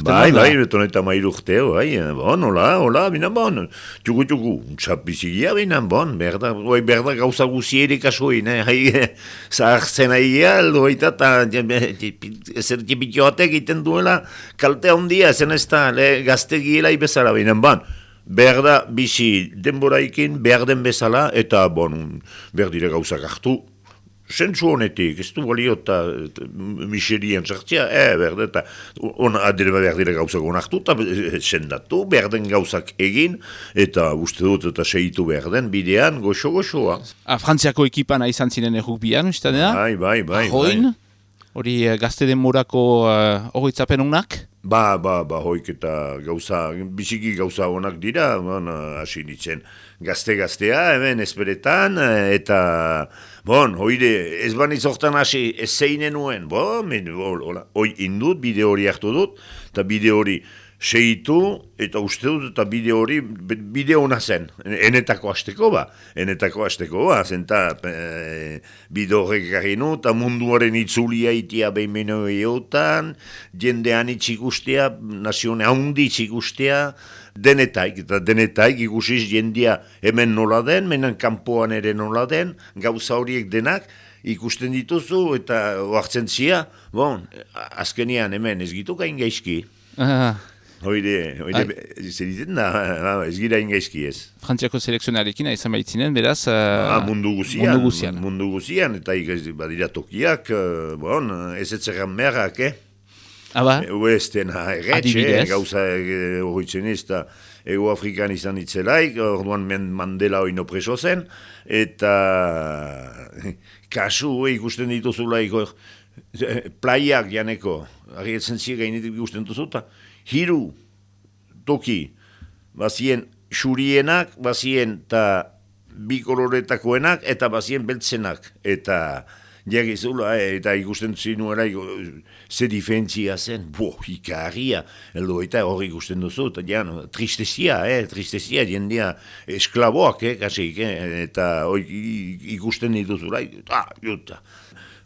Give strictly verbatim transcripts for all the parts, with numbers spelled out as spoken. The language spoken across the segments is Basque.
bai, bai, beton eta mairu urteo, bai, bon, hola, hola, bina bon, txugu, txugu, txapizigia, bina bon, berda, oi, berda gauza guziere kasuin, eh, hai, zahartzen aia, aldo, eta, ezer tipitioatek egiten duela, kalte handia, zen ez da, gaztegiela ibezala, bina bon, berda bizi denboraikin, berden bezala, eta, bon, berdire gauzak hartu, zentzu honetik, ez du balio eta miserien sartzea, eh, berde, eta adire berdire gauzak onartu, eta sendatu, berden gauzak egin, eta uste dut eta seitu berden, bidean, goxo-goxoa. Ah, Frantziako ekipan izan ziren errukbian, uste da? Bai, bai, bai. Ahoin, hori gazte denborako horretzapen uh, honak? Ba, ba, ba, hoik eta gauza, biziki gauza honak dira, hasi nitzen gazte-gaztea, hemen esperetan, eta, bon, hoide, ez baniz hortan hasi, ez zeinen nuen, bon, hoi indut, bide hori hartu dut, eta bide hori seitu, eta uste dut, eta bide hori, bide hona zen, enetako hasteko ba, enetako hasteko ba, zenta e, bide horrek garrinu, eta munduaren itzulia itia behin meno eotan, jendean itxikustea, nazione haundi itxikustea, denetaik, eta denetaik ikusiz jendia hemen nola den, menen kanpoan ere nola den, gauza horiek denak, ikusten dituzu, eta oartzen zia, bon, azkenian hemen ez gitu gain gaizki. Hoide, hoide, zer ditzen da, ez gira ingaizki ez. Frantziako selekzionarekin izan baitzinen, beraz, uh, ah, mundu guzian, mundu guzian. Mundu guzian, eta badira tokiak, uh, bon, ez etzeran merrak, eh? Aba? Oesten erretxe, gauza horretzen ez, eta Ego Afrikan izan itzelaik, orduan Mandela oino preso zen, eta kasu ikusten dituzulaik, plaiak janeko, argietzen ziren gainetik ikusten duzuta, hiru toki, bazien xurienak, bazien eta bi koloretakoenak, eta bazien beltzenak, eta jagizula, eta ikusten zinuela, ze diferentzia zen, bo, ikarria, eldo eta hori ikusten duzu, eta jan, tristezia, eh, tristezia, jendea esklaboak, eh, kasik, eh, eta hori ikusten dituzula, ah, juta.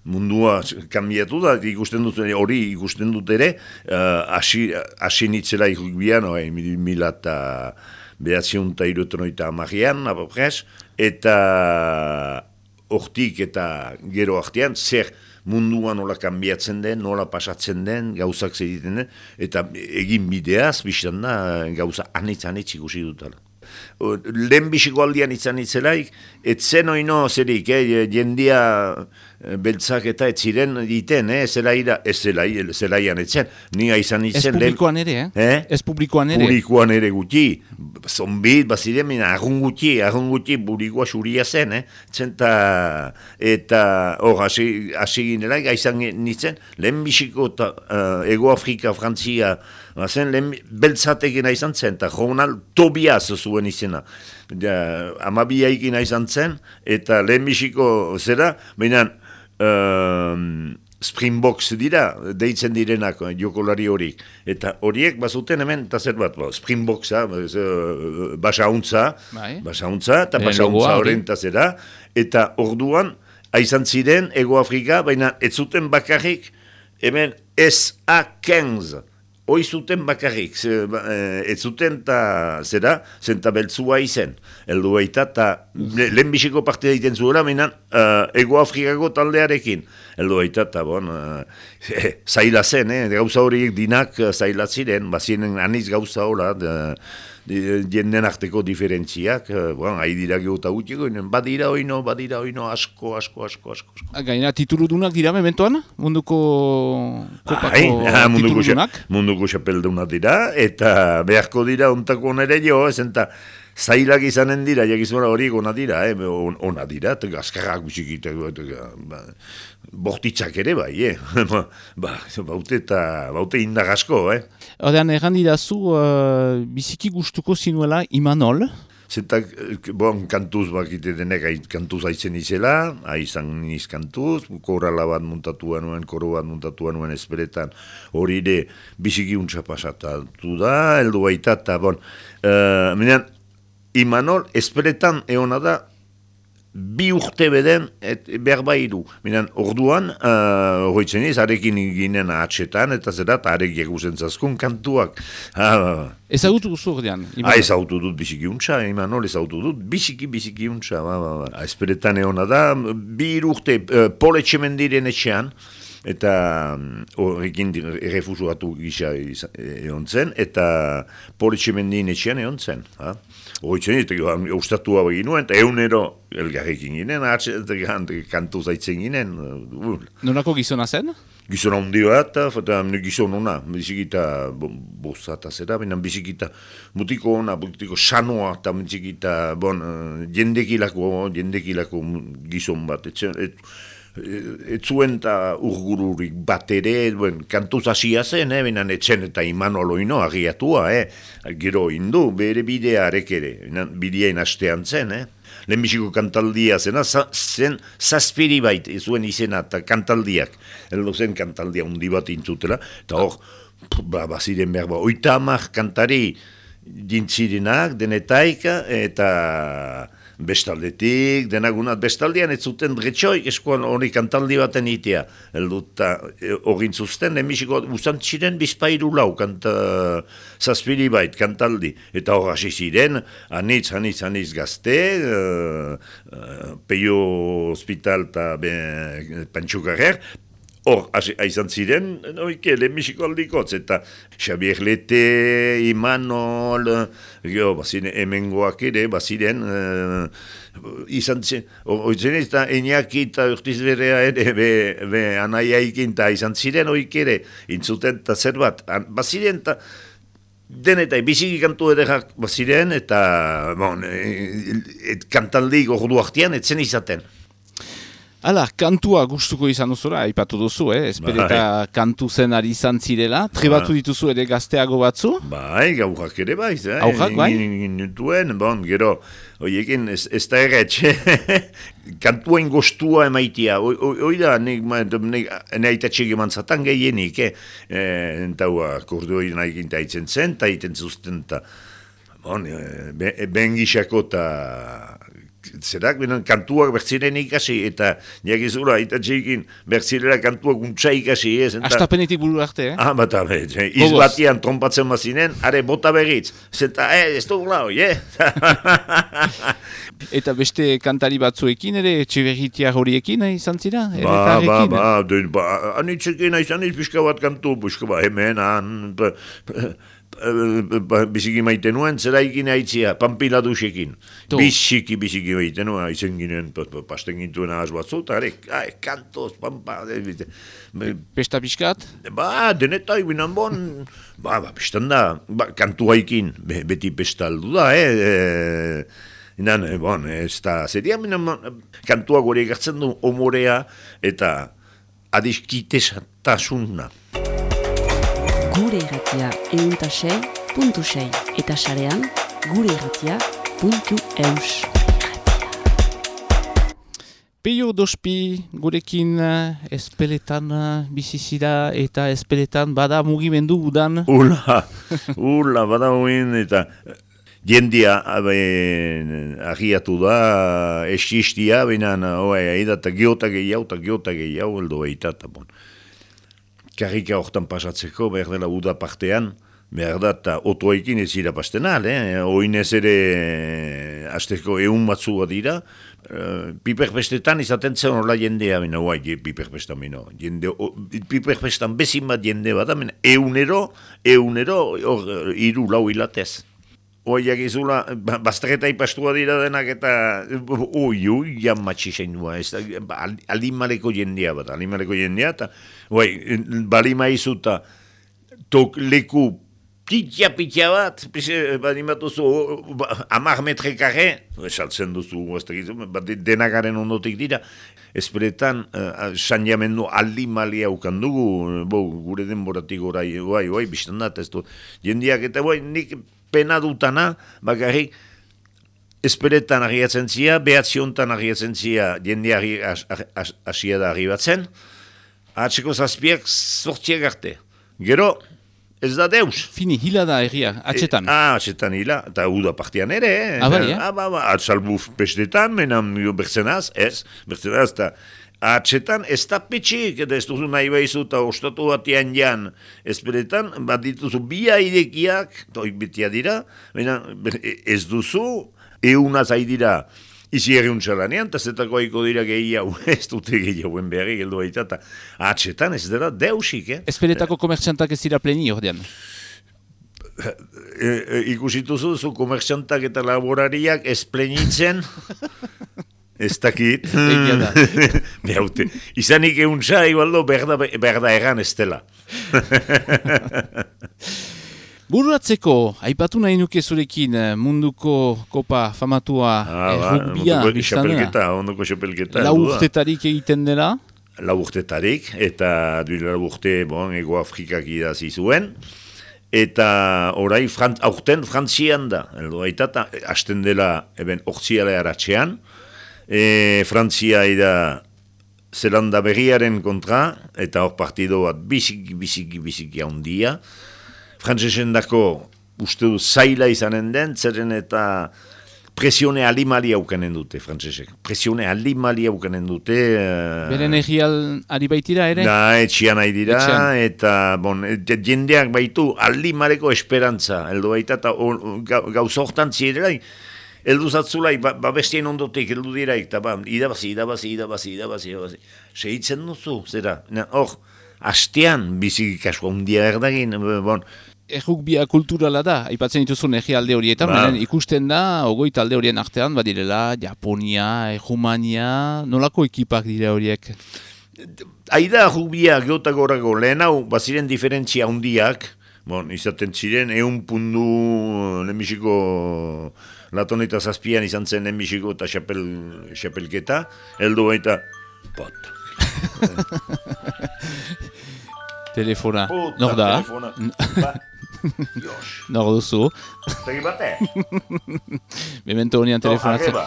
Mundua kanbiatu da, ikusten dut, hori ikusten dut ere, hasi uh, nitzela irrukbian, no, mila eta behatzion eta irutenoita amagian, apapres, eta hortik eta gero artean, zer mundua nola kanbiatzen den, nola pasatzen den, gauzak zediten den, eta egin bideaz, biztan da, gauza anitz-anitz ikusi dutala. Lehen bisiko aldian izan itzelaik, etzen oino zerik, eh, jendia beltzak eta etziren diten, eh, zelaira, ez zelai, zelaian etzen, niga izan itzen. Ez publikoan ere, eh? eh? Ez publikoan ere. Publikoan ere guti, zombit, baziren, mina, argun guti, argun guti, publikoa xuria zen, eh? Zenta, eta, hor, hasi ginelaik, aizan nintzen, lehen bisiko ta, uh, Ego Afrika, Frantzia, zen, lehen beltzatekena izan zen, eta Ronald Tobias zuen izena. Ja, amabiaikina izan zen, eta lehen bisiko zera, behinan, um, Springboks dira, deitzen direnak jokolari horiek. Eta horiek bazuten hemen, eta zer bat, bo, Springboksa, basauntza, basauntza, eta basauntza horren eta zera, eta orduan, aizan ziren, Ego Afrika, baina ez zuten bakarrik, hemen S A quinze, hoi zuten bakarrik, ez zuten eta zera, zenta beltzua izen, eldu baita, eta lehen bisiko parte daiten zuela, minan, uh, Ego Afrikako taldearekin, eldu baita, eta bon, uh, zaila zen, eh? Gauza horiek dinak uh, zaila ziren, bazienen aniz gauza hola, jenden arteko diferentziak, uh, bon, hain dira gehuta gutiko, badira oino, badira oino, asko, asko, asko, asko. asko. Gaina tituludunak dira mementoan, munduko kopako Ai, tituludunak? Munduko xapeldunak dira, eta beharko dira ontako nere jo, zenta zailak izanen dira, jakizuna horiek ona dira, eh? ona dira, eta azkarrak bizikitek, ba, bortitzak ere bai, eh? ba, baute eta baute indar asko, eh? Hordean, erran didazu, uh, biziki gustuko zinuela Imanol? Zenta, bon, kantuz bakite denek kantuz haitzen izela, haizan niz kantuz, korala bat muntatua nuen, koro bat muntatua nuen ezberetan, hori ere biziki untsa pasatatu da, heldu baita, eta bon, uh, minean, Imanol ezberetan eona da bi urte beden, et berba iru. Minan, orduan, horretzen uh, ez, arekin ginen atxetan, eta zera, eta arek egusen zazkun kantuak. Ah, ezagutu guzu ordean? Ah, ezagutu dut biziki untxa, Imanol, ezagutu dut biziki biziki untxa. Ba, ba, ba. Esperetan egon da, bi urte, uh, Pol Etxemendiren etxean, eta horrekin errefusuatu gisa egon zen, eta Pol Etxemendin etxean egon zen. Ha? Horretzen, eta ustatua begin nuen, eta egunero elgarrekin ginen, kantu zaitzen ginen. Nolako gizona zen? Gizona hundi bat, eta gizona ona, bizikita bozata zera, binen bizikita mutiko ona, mutiko sanoa, eta bizikita, bon, jendekilako, jendekilako gizon bat, et, ez zuen eta urgururik bat ere, bueno, kantuz hasia zen, eh, benen etxen eta Imanoloino agiatua, eh, gero indu, bere bidearek ere, bideain hastean zen, eh. Lehenbiziko kantaldia zena, zen zazpiri bait, zuen izena eta kantaldiak, heldu zen kantaldia undi bat intzutela, eta hor, ba, baziren behar, ba, oita amak kantari dintzirenak, denetaika, eta bestaldetik, denagunat bestaldean, ez zuten dretxoi, eskoan hori kantaldi baten itea, helduta horrin zuzten, emisiko uzantziren bizpairu lau, kanta, zazpiri bait, kantaldi, eta hor hasi ziren, anitz, anitz, anitz gazte, uh, uh, Peio Hospital eta Pantxukarrer, hor, aizan ziren, oike, lehenbiziko aldikotz, eta Xabier Lete, Imanol, jo, baziren, hemengoak ere, baziren, uh, izan zen, oitzen ez da, Eñaki eta Urtiz Berea ere, be, be anaiaikin, eta izan ziren, oik ere, intzuten, eta zer bat, baziren, eta den eta biziki kantu edekak baziren, eta, bon, et, kantaldik ordu artean, etzen izaten. Hala, kantua gustuko izan duzura, aipatu duzu, eh? Espereta bai. Kantu zen ari izan zirela, trebatu dituzu ere gazteago batzu? Bai, gaujak ere bai, eh? Aujak bai? Nintuen, bon, gero, oiekin, ez, ez da erretxe, kantuain gostua emaitia, hoi da, ne aitatxek eman zatan gehienik, eh? Eta hua, kordu hori nahi ginta aitzen zen, eta aiten zuzten, eta, bon, ben gixako eta zerak, benen kantuak bertziren ikasi, eta jakizura, eta txekin bertzirera kantuak untsa ikasi, ez? Astapenetik buru arte, eh? Ah, bat abe, izbatian trompatzen bazinen, are, bota berriz, zeta, eh, ez dugu lau, eh? Eta beste kantari batzuekin, ere, Etxeberritia horiekin, eh, izan zira? Ba, ba, ba, ba, anitzekin, izan iz, pixka bat kantu, pixka bat, hemen, han, biziki maite nuen, zera ikin haitzia, Pampila dusekin. Biziki, biziki maite nuen, haizen ginen, pasten gintuen ahaz batzu, eta ere, kantoz, pampa. Pesta pixkat? Ba, denetai, binan bon, ba, ba, pestan da, ba, kantu haikin, beti pesta aldu da, eh, inan, bon, ez da, zeria, binan, kantuak hori egartzen du, omorea, eta adiskitesatasuna. Gure irratia eunta sei puntu sei eta sarean gure irratia puntu eus. Peio Dospi gurekin espeletan bizizida eta espeletan bada mugimendu udan. Ula, ula, bada mugin eta jendia agiatu da, esistia, binan, oa, eta geota gehiago, eta geota gehiago, eldo eita, eta bon. Karrika hortan pasatzeko, behar dela uda partean, behar da, eta otoekin ez dira pastenal, eh? Oinez ere, azteko egun batzu bat dira, uh, piperpestetan izaten zen horla jendea, bina, guai, piperpestan, bina, jende, piperpestan bezin bat jende bat, bina, eunero, eunero, hor, iru lau hilatez. Oiak izula, baztereta ipastua dira denak eta oi, oi, jan matxixen dua, alimaleko jendea bat, alimaleko jendea, eta oi, balima izuta tok leku pitia-pitia bat, balimatu zu, amar metre karre, esaltzen duzu, denakaren ondotik dira, esperetan, uh, sanjamendu alimali haukan dugu, bo, gure denboratik orai, oi, oi, biztan dat, ez du, jendeak eta oi, nik pena dutana, bakarrik, esperetan agiatzen zia, behatziontan agiatzen zia, jende asia da arribatzen, atzeko zazpiak sortziak arte. Gero, ez da deus. Fini, hila da erria, atxetan. E, ah, atxetan hila, eta uda partian ere. Eh? Ah, bai, eh? Ah, ba, ba, atsalbu pestetan, menan bertzenaz, ez, bertzenaz, eta atxetan ez da petxik, eta ez duzu nahi behizu, eta ostatu batian jan, ezperetan, bat dituzu bi airekiak, toik betia dira, menan, ez duzu, eunaz haidira, izi erriuntxalanean, eta zetako haiko dira gehiago, ez dute gehiagoen beharri geldu baita, eta atxetan ez dira deusik, eh? Ezperetako komertxantak ez dira pleni, ordean. E, e, ikusituzu zu komertxantak eta laborariak ez plenitzen, ez dakit. Egia da. Behaute, izanik euntza, igualdo, berda, berda egan ez dela. Bururatzeko, aipatu nahi nuke zurekin munduko kopa famatua ah, eh, rugbia, biztana. Ondoko xapelketa. Lau urtetarik egiten dela? Lau urtetarik, eta duela lau urte, bon, Ego Afrikak idazi zuen. Eta orai, frant, aurten Frantzian da. Eldo baita, hasten dela, eben, ortsiala eratxean. E, Frantzia ida Zelanda berriaren kontra, eta hor partido bat biziki, biziki, biziki handia. Frantzesen dako uste du zaila izanen den, zeren eta presione alimali haukanen dute, frantzesek. Presione alimali haukanen dute. Uh, Beren egial ari baitira ere? Da, etxian ari dira, etxian. Eta bon, jendeak baitu alimareko esperantza, eldo baita, eta gauzortan zirela, eldu zatzulai, ba, ba bestien ondotek, eldu diraik, eta ba, idabazi, idabazi, idabazi, idabazi, idabazi. Segitzen duzu, zera, hor, hastean biziki kasko handia erdagin, bon. Errugbia kulturala da, aipatzen dituzun egi alde horietan, ba. Ikusten da, ogoi talde horien artean, badirela, Japonia, Errumania, nolako ekipak dira horiek? Aida errugbia geotagorako lehen hau, baziren diferentzia handiak, bon, izaten ziren, eun pundu lehenbiziko laton eta zazpian izan zen lehenbiziko eta xapel, xapelketa, heldu baita, pot. Telefona, nor da? Telefona, ba, nor duzu? Tegi bate? Memento honian telefonatzen.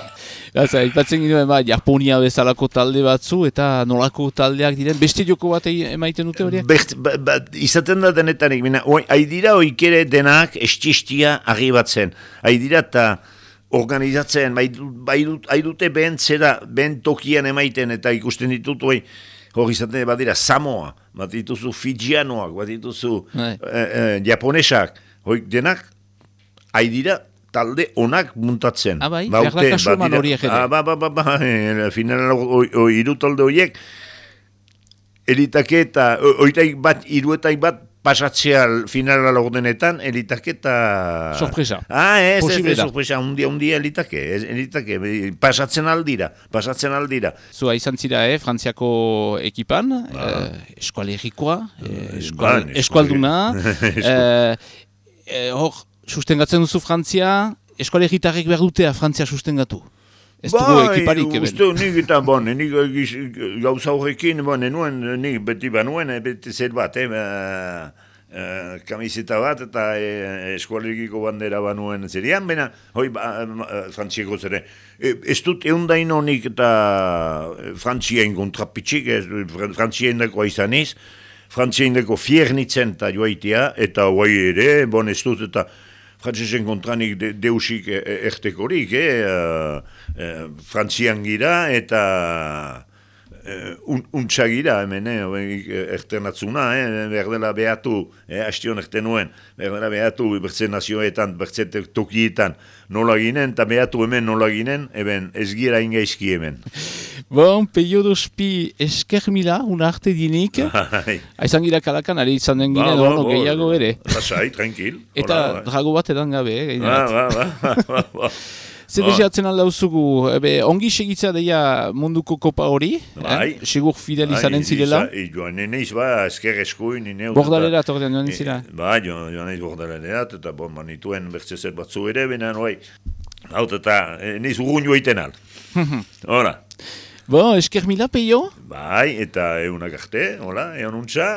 Gaza, ipatzen ginoen, ba, Japonia bezalako talde batzu, eta nolako taldeak diren, beste joko bat emaiten dute horiek? Best, ba, ba, izaten da denetanik, haidira oikere denak estistia arribatzen. Haidira eta organizatzen, haidute behen zera, behen tokian emaiten, eta ikusten ditut, oi, hori izaten badira Samoa, bat dituzu Fijianoak, bat dituzu eh, eh, Japonesak, hori denak, haidira talde onak muntatzen. Ah, bai? Berda kasuman horiek ere? Ah, ba, ba, ba, ba, eh, final hiru talde horiek, elitake eta, oitaik bat, iruetaik bat, pasatzea finala laurdenetan, elitake eta... Sorpresa. Ah, ez, ez, ez, sorpresa, undia, undia elitake, elitake, pasatzen aldira, pasatzen aldira. Zua izan zira, eh, Frantziako ekipan, ba. eh, eskualerikoa, eh, eskual, ba, eskualduna, eh, eh, hor, sustengatzen duzu Frantzia, eskualeritarrek behar dutea Frantzia sustengatu. Ez dugu ba, ekiparik, eben. Uste, nik eta, bon, nik gauza horrekin, bon, enuen, nik beti banuen, beti zer bat, eh, uh, kamiseta bat, eta eh, eskualerikiko bandera banuen zerian, baina, hoi, ba, Frantzieko zere, e, ez dut eundain honik eta Frantzien kontrapitxik, Frantzien dako izaniz, Frantzien dako fiernitzen eta joaitea, eta hoi ere, bon, ez dut, eta Frantzesen kontranik de, deusik ertekorik, eh? uh, uh, Frantzian gira eta uh, un, untsa gira, hemen, eh? erternatzuna, eh? berdela behatu, eh? hastion erten nuen, berdela behatu bertze nazioetan, bertze tokietan nola ginen, eta behatu hemen nola ginen, eben ez gira ingaizki hemen. Bon, Peio Dospi esker mila, una arte dinik. Aizan gira kalakan, ari izan den ginen, ba, ba, gehiago ere. Lasai, tranquil. Eta hola, drago bat edan gabe, eh? Ba, ba, ba, ba, ba. Zer deseatzen alda uzugu, ebe, ongi segitza deia munduko kopa hori, bai. eh? Segur fidel izanen zirela. Joan neneiz, ba, esker eskuin. Bordalerat ordean joan zira? Ba, joan neneiz bordalerat, eta bon, manituen bertzezet batzu ere, benen, oi, hau, eta neneiz urgun joiten al. Hola. Bon, esker mila, Peio? Bai, eta egunak arte, hola, egon untza.